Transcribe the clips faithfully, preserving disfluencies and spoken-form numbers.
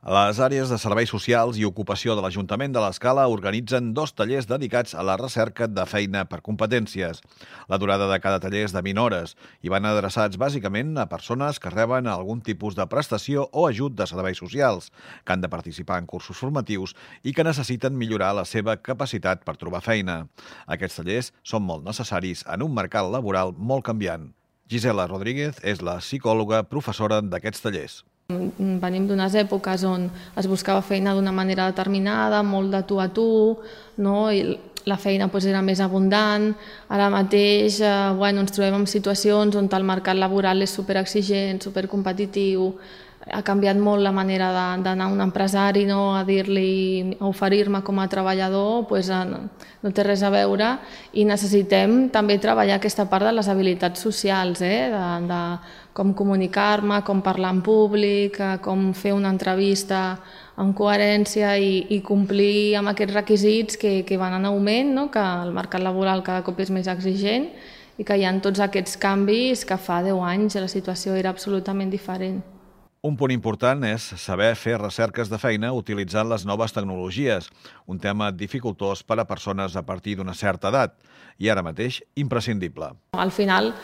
Les àrees de serveis socials i ocupació de l'Ajuntament de l'Escala organitzen dos tallers dedicats a la recerca de feina per competències. La durada de cada taller és de vint hores i van adreçats bàsicament a persones que reben algun tipus de prestació o ajut de serveis socials, que han de participar en cursos formatius i que necessiten millorar la seva capacitat per trobar feina. Aquests tallers són molt necessaris en un mercat laboral molt canviant. Gisela Rodríguez és la psicòloga professora d'aquests tallers. Venim d'unes èpoques on es buscava feina d'una manera determinada, molt de tu a tu, no? I la feina doncs, era més abundant. Ara mateix eh, bueno, ens trobem en situacions on el mercat laboral és superexigent, supercompetitiu. Ha canviat molt la manera d'anar a un empresari, no? A dir-li, a oferir-me com a treballador, doncs, no, no té res a veure, i necessitem també treballar aquesta part de les habilitats socials, eh? de, de com comunicar-me, com parlar en públic, com fer una entrevista amb coherència i, i complir amb aquests requisits que, que van en augment, no? Que el mercat laboral cada cop és més exigent i que hi ha tots aquests canvis que fa deu anys la situació era absolutament diferent. Un punt important és saber fer recerques de feina utilitzant les noves tecnologies, un tema dificultós per a persones a partir d'una certa edat i ara mateix imprescindible. Al final,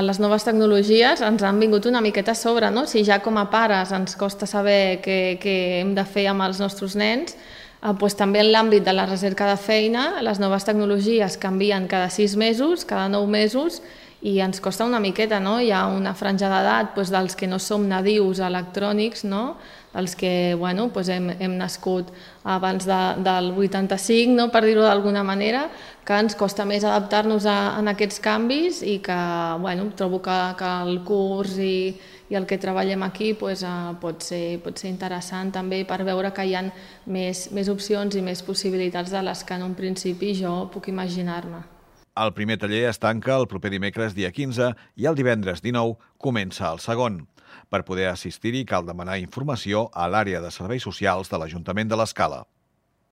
les noves tecnologies ens han vingut una miqueta a sobre, no? Si ja com a pares ens costa saber què, què hem de fer amb els nostres nens, doncs també en l'àmbit de la recerca de feina, les noves tecnologies canvien cada sis mesos, cada nou mesos, i ens costa una miqueta, no? Hi ha una franja d'edat doncs, dels que no som nadius electrònics, no? Els que bueno, doncs hem, hem nascut abans de, del vuitanta-cinc, no? Per dir-ho d'alguna manera, que ens costa més adaptar-nos a, a aquests canvis i que bueno, trobo que, que el curs i, i el que treballem aquí doncs, uh, pot, ser, pot ser interessant també per veure que hi ha més, més opcions i més possibilitats de les que en un principi jo puc imaginar-me. El primer taller es tanca el proper dimecres dia quinze i el divendres dinou comença el segon. Per poder assistir-hi cal demanar informació a l'àrea de serveis socials de l'Ajuntament de l'Escala.